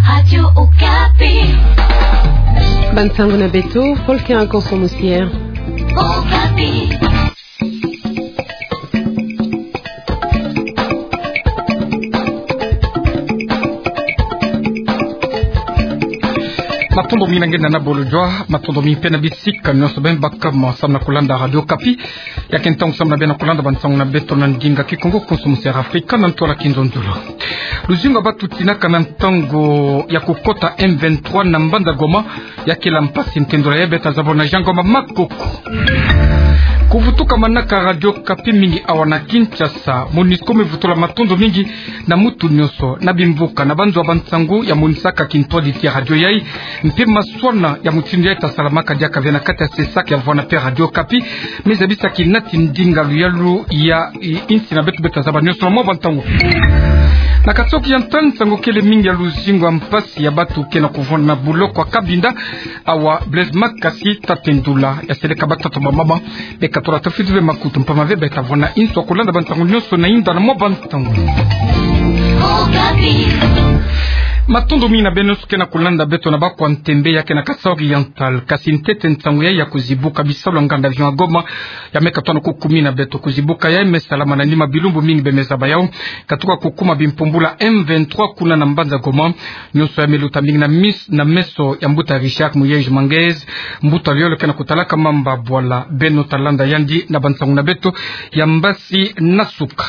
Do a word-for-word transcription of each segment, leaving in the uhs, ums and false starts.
Radio Okapi. Bansango na beto, Volker Nkonso Musier. Okapi. Matondo mingi na nge na bolo jua, matondo mingi mpe na bisika nyonso beno bakama samu na kulanda Radio Okapi. Ya ke ntangu samu na beno kulanda bansango na beto na ndinga Kikongo, Nkonso Musier Afrika, na ntwala Kinzonzolo. Luzingu ya batu tinaka na ntangu ya kukota M vingt-trois na mbanza Goma, ya kela mpasi, ntendolo yayi beta zabona Jean Ngoma Makoko. Kuvutuka manaka Radio Okapi mingi awa na Kinshasa. MONUSCO me vutula matondo mingi na mutu nyonso, na bimvuka, na banzo ya bansangu ya monisaka kintwadi ti ya radio yayi, mpe maswana ya mutindu yayi ta salamaka diaka ve na kati ya sesaka ya vwanda mpe Radio Okapi, me zabisa kinati ndinga luyalu ya i-, insi na beto beta zaba nyonso na mwa bantangu. Na kati ya Occitan, nsangu kele mingi ya luzingu ya mpasi ya batu ke na kuvwanda na buloko ya Cabinda, awa Blaise Makasi, tata Ndula, ya seleka batata, bamama, beka tula tafiti ve makutu mpamba ve beta vwanda inso ya kulanda bansangu nyonso na inda na mwa bantangu. Matondo mingi na beno nyonso ke na kulanda beto na bakwa ntembe ya ke na Kasaï Oriental, kasi ntete nsangu yayi ya kuzibuka bisalu ya nganda avion ya Goma, ya me katwa na kukumina beto. Kuzibuka yayi me salama na nima bilumbu mingi beno me zaba yawu, katuka kukuma bimpumbulu ya M vingt-trois kuna na mbanza Goma. Nyonso yayi me luta mingi na mis-, na meso ya mbuta Richard Muyej Manguez, mbuta luyalu ke na kutalaka mambu ya bwala. Beno ta landa yandi na bansangu na beto ya mbasi na suka.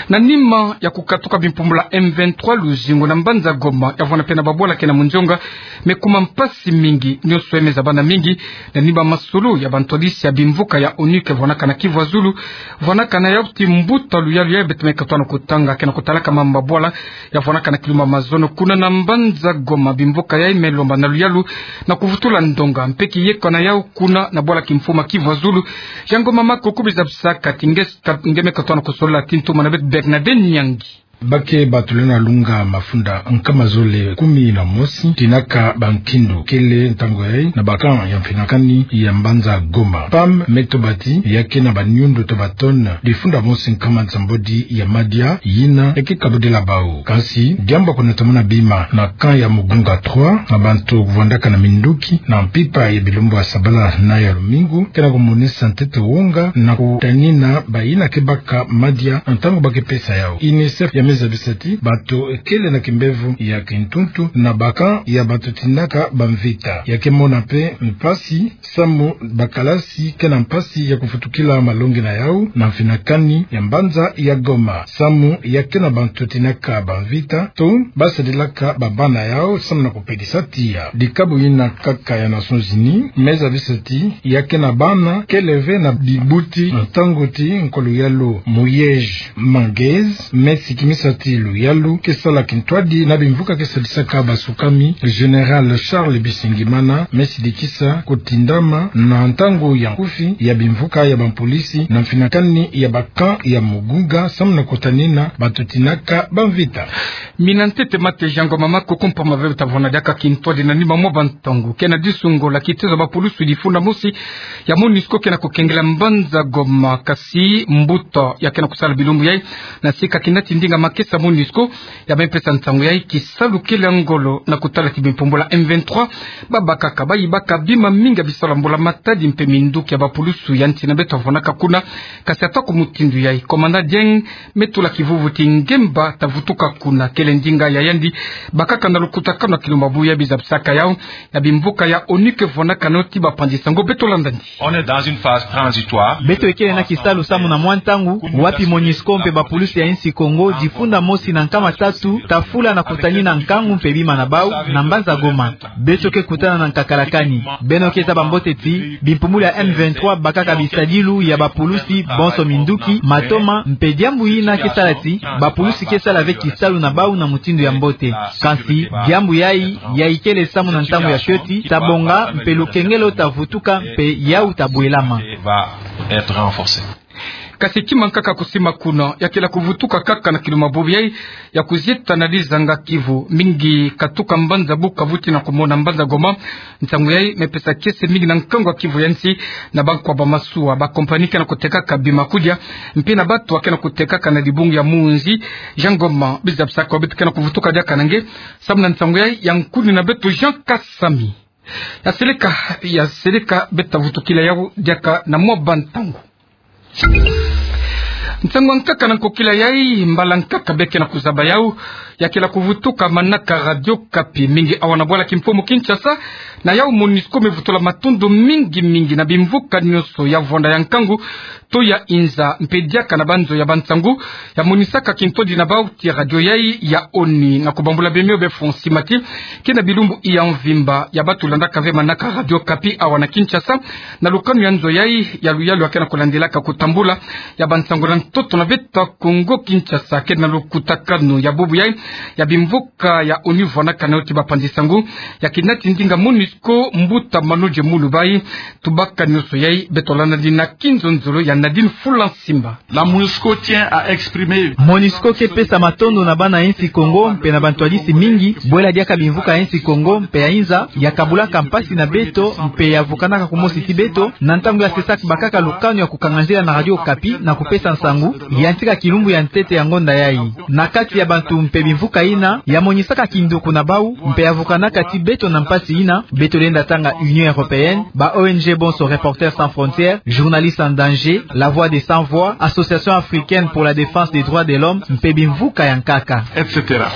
Na nima ya kukatuka bimpumbulu ya M vingt-trois, luzingu na mbanza Goma, ya vwanda mpe na babwala ke na munzonga, me kuma mpasi mingi. Nyonso yayi me zabana mingi na nima masolo ya bantwadisi ya bimvuka ya ONU ke vwanaka na Kivu ya Zulu, vwanaka na yawu ti mbuta luyalu yayi beto me katwa na kutanga, ke na kutalaka mambu ya bwala, ya vwanaka na kilumbu ya mazono kuna na mbanza Goma. Bimvuka yayi me lomba na luyalu na kuvutula ndonga mpe kiyeka na yawu kuna na bwala kimfumu ya Kivu ya Zulu. Jean Ngoma Makoko, bizabisaka ti nge s-, ka-, nge me katwa na kusolola ti ntoma na beto Bernadette Nyangi. Ba ke batu lenda lunga mafunda nkama zole kumi na mosi, tinaka bankindu kele ntangu yayi na ba camp ya mfinakani ya mbanza Goma. PAM me toba ti ya ke na baniundu to ba tonnes difunda mosi nkama nsambwadi ya madia yina ya ke kabudila bawu. Kasi diambu ya kunata muna bima na camp ya Mugunga trois na bantu kuvwandaka na minduki na mpimpa ya bilumbu ya sabala na ya lumingu, ke na kumonisa ntete wonga na kutanina bayina ke baka madia na ntangu ba ke pesa yawu. UNICEF ya me zabisa ti bato kele na kimbevo ya kintuntu na ba camp ya bato tinaka bamvita. Ya ke mona mpe mpasi samu bakalasi ke na mpasi ya kufutukila malongi na yawu na mfinakani ya mbanza ya Goma, samu ya ke na bantu tinaka bamvita to ba sadilaka babana yawu samu na kupelisa tiya. Dikabu yina nkaka ya Nations Unies me zabisa ti ya ke na bana kele ve na bibuti na ntangu ti nkolo yalu Muyej Manguez me sikimisa ti luyalu ke sala kintwadi na bimvuka ke sadisaka basukami. Général Charles Bisengimana me sidikisa kutindama na ntangu ya nkufi ya bimvuka ya bampolisi na mfinakani ya ba camp ya Mugunga samu na kutanina bato tinaka bamvita. Mina ntete mate Jean Ngoma Makoko, mpamba ve beta vwanda diaka kintwadi na nima mwa bantangu. Ke na disungola, kitezo ya bapulusu difunda mosi ya MONUSCO ke na kukengela mbanza Goma, kasi mbuta ya ke na kusala bilumbu yayi na sika kinati ndinga makesa MONUSCO, ya me pesa nsangu yayi kisalu kele ya ngolo na kutala ti bimpumbulu ya M vingt-trois babakaka, bayibaka bima mingi ya bisalu ya mbula matadi mpe minduki ya bapulusu ya nsi na beto vwanaka kuna. Kasi ata ku mutindu yayi, Commandant Dieng me tula kivuvu ti ngemba ta vutuka kuna, kele ndinga ya yandi bakaka na lukutakanu ya kilumbu ya buya. Bizabisaka yawu ya bimvuka ya ONU ke vwanaka na yo ti bapanzi sango. Beto landa yandi. On est dans une phase transitoire. Beto kele na kisalu samu na mwa ntangu wapi MONUSCO mpe bapulusu ya insi Kongo difunda mosi na nkama tatu ta fula na kutanina nkangu mpe bima na bawu na mbanza Goma. Beto ke kutana na nkakalakani. Beno ke zaba mbote ti bimpumbulu ya M vingt-trois bakaka bisadilu ya bapulusi bonso, minduki, matoma, mpe diambu yina ke sala ti bapulusi ke sala ve kisalu na bawu na mutindu ya mbote. Kasi diambu yayi, yayi kele samu na ntangu ya fioti ta bonga mpe lukengelo ta vutuka mpe yawu ta bwelama. Va être renforcé. Kasi kima nkaka kusima kuna, ya kela kuvutuka kaka na kiluma bubu yai, ya kuzieta na dizanga Kivu, mingi katuka mbanza Bukavu tii na kumona mbanza Goma. Nsangu yai me pesa kiese mingi na nkangu ya Kivu ya nsi, na bankwa ba masuwa, ba compagnie ke na kutekaka bima kudia, mpe na bantu ke na kutekaka na dibungu ya munzi. Jean Goma, bizabisaka wa beto ke na kuvutuka diaka na nge, samu na nsangu yai ya nkuni na beto Jean Kasami. Ya seleka, ya seleka beto vutukila yau diaka na mwa bantangu. Nsangu ya nkaka na nkokila yai, mbala nkaka be ke na kuzaba yau, ya kela kuvutuka manaka Radio Okapi, mingi awa na bwala kimfumu Kinshasa, na yau MONUSCO me vutula matondo mingi mingi na bimvuka nyonso ya vwanda ya nkangu, to ya inza, mpe diaka na banzo ya bansangu, ya monisaka kintondi na bau ti radio yai ya ONU, na kubambula bemio be fonsi mati, ke na bilumbu ya mvimba, ya bantu landaka ve manaka Radio Okapi awa na Kinshasa, na lukanu ya nzo yai, ya luyalu ya ke na kulandelaka kutambula ya bansangu na ntoto na beto Kongo Kinshasa, ke na lukutakanu ya bubu yai, ya bimvuka ya ONU vwanaka na yo ti bapanzi nsangu, ya kina ti ndinga MONUSCO, mbuta Manodje Mulubai. Tubaka nyonso yai, beto landa dina kinzonzolo ya Nadine Fulansimba. La MONUSCO tient à exprimer. MONUSCO ke pesa matondo na bana insi Kongo, mpe na bantwadisi mingi, bwela diaka bimvuka ya insi Kongo, mpe ya inza, ya kabulaka mpasi na beto, mpe ya vukanaka kumosi ti beto, na ntangu ya CESAC bakaka lukanu ya kukanga nzila na Radio Okapi, na kupesa nsangu, ya ntika kilumbu ya ntete ya ngonda yai. Na kati ya bantu mpe bimvuka ina, ya monisaka kinduku na bau, mpe ya vukanaka ti beto na mpasi ina, beto lenda tanga Union Européenne, ba ONG bonso Reporters sans frontières, Journalistes en danger, La Voix des Sans Voix, Association africaine pour la défense des droits de l'homme, mpe bimvuka ya nkaka. Et cetera.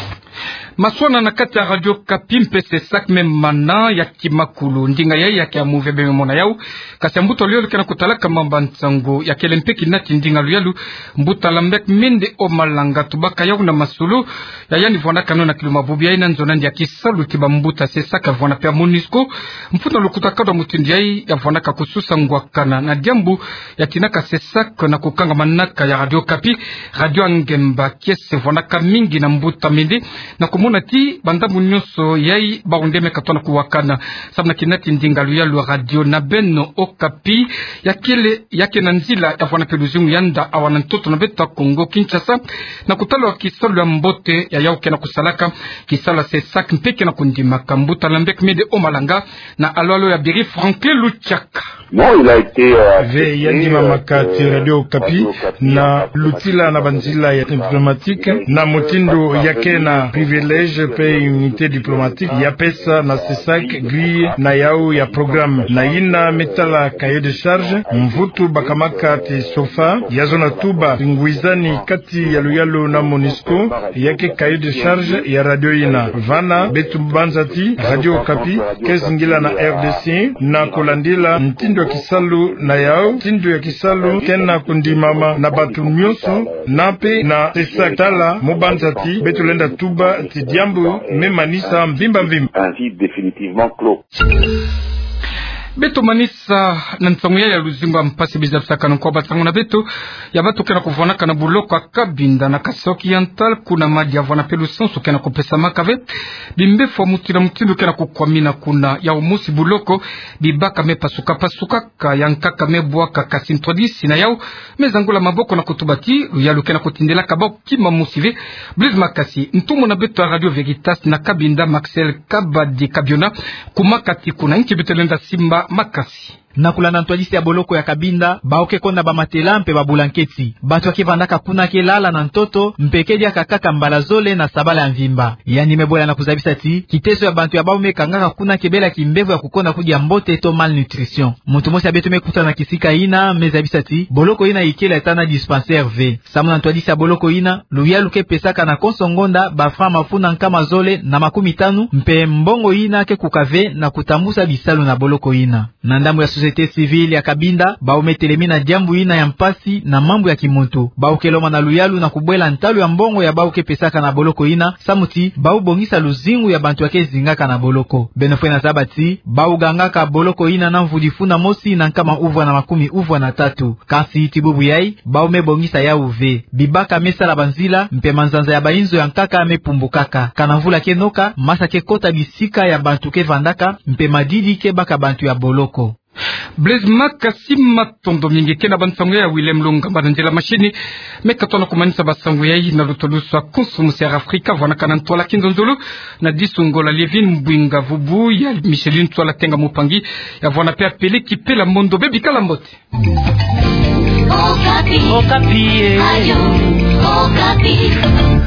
Maswana na kati ya Radio Okapi mpe CESAC me mana ya kimakulu. Ndinga yai ya ke ya move be me mona yau. Kasi ya mbuta luyalu ke na kutalaka mamba nsangu, ya kele mpe kina ti ndinga luyalu, mbuta Lambert Mende Omalanga, tubaka yau na masolo ya yandi vwanakano na kiluma bubu yai na nzo nandi ya kisalu ti bambuta CESAC vwana mpe ya MONUSCO. Mfunu na lukutakanu ya mutindu yai, ya vwanaka kususa ngwakana na diambu ya tinaka CESAC na kukanga manaka ya Radio Okapi, radio ya ngemba, kiese vwanaka mingi na mbuta Mende, na kumona ti bandambu nyonso yai bau nde me katona kuwakana. Samu na kina ti ndinga luyalu radio na beno Okapi, ya kele, ya ke na nzila ya vwana mpe luzingu ya nda awa na ntoto na beto Kongo Kinshasa, na kutala kisalu ya mbote ya yau ke na kusalaka, kisalu ya CESAC mpe ke na kundimaka. Mbuta Lambert Mende Omalanga, na alwalo ya Biri Franklin Luchaka. Non, il a été, euh, accepté, euh, que Radio Okapi, euh, Radio Okapi, na lutila na banzila ya diplomatique, na mutindu ya ke na privilège mpe immunité diplomatique, ya pesa na CESAC grille na yau ya programme. Na yina me tala cahier de charge, mvutu bakamaka ti SOFA, ya zona tuba, ngwizani kati ya luyalu na MONUSCO, ya ke cahier de charge ya radio yina. Vana, beto banza ti Radio Okapi ke zingila na RDC, na kulandila ntindu ya kisalu na yau, ntindu ya kisalu ke na kundimama na bantu nyonso, na mpe na CESAC. Tala mu banza ti beto lenda tuba ti diambu me manisa mvimba mvimba. Un vide définitivement clos. Beto manisa na nsangu yai ya luzingu ya mpasi. Bizabisakanu kwa bansangu na beto, ya bantu ke na kuvwanaka na boloko ya Cabinda na Kasaï Oriental, kuna madia vwana mpe lusansu ke na kupesamaka ve. Bimbefu ya mutindu na mutindu ke na kukwamina kuna. Ya mosi, boloko, bibaka me pasuka-pasukaka, ya nkaka me bwaka, kasi ntwadisi na yau me zangula maboko na kutuba ti luyalu ke na kutindilaka bau kima mosi ve. Blaise Makasi, ntumwa na beto ya Radio Veritas na Cabinda, Maxel Kabadi Kabiona, kuma kati kuna, nki beto lenda simba makasi? Na kulanda ntwadisi ya boloko ya Cabinda, bau ke konda bamatela mpe babulanketi. Bantu ya ke vandaka kuna ke lala na ntoto, mpe ke diaka kaka mbala zole na sabala ya mvimba. Yandi me bwela na kuzabisa ti kiteso ya bantu ya bau me kangaka kuna ke bela kimbevo ya kukonda kudia mbote to malnutrition. Muntu mosi ya beto me kutana na kisika yina me zabisa ti boloko yina ikele ata na dispensaire ve. Samu na ntwadisi ya boloko yina, luyalu ke pesaka na konso ngonda ba francs mafunda nkama zole na makumi tanu, mpe mbongo yina ke kuka ve na kutambusa bisalu na boloko yina. Na ndambu ya société civile ya Cabinda, bau me telemina diambu yina ya mpasi na mambu ya kimuntu. Bau ke lomba na luyalu na kubwela ntalu ya mbongo ya bau ke pesaka na boloko yina, samu ti bau bongisa luzingu ya bantu ya ke zingaka na boloko. Beno fwene zaba ti bau gangaka boloko yina na mvu difunda mosi na nkama uvwa na makumi uvwa na tatu. Kasi ti bubu yai, bau me bongisa yau ve. Bibaka me sala banzila, mpe manzanza ya bainzo ya nkaka me pumbukaka. Kana mvula ke noka, masa ke kota bisika ya bantu ke vandaka, mpe madidi ke baka bantu ya boloko. Blaise Maka, si matondo mingi. Kena ba nsangu ya Willem Lunga, ba nzila mashini. Meka tona kumanisa ba nsangu ya i na luto luso a Konso Musi Air Afrika, vwana kana ntwala Kinzonzolo, na disungo la Lievine Mbwinga, vubu ya Micheline Ntwala Tenga Mupangi, ya vwana pe Apele Kipela Mondo. Bebi, kala mbote. Okapi. Okapi, eh. Radio Okapi.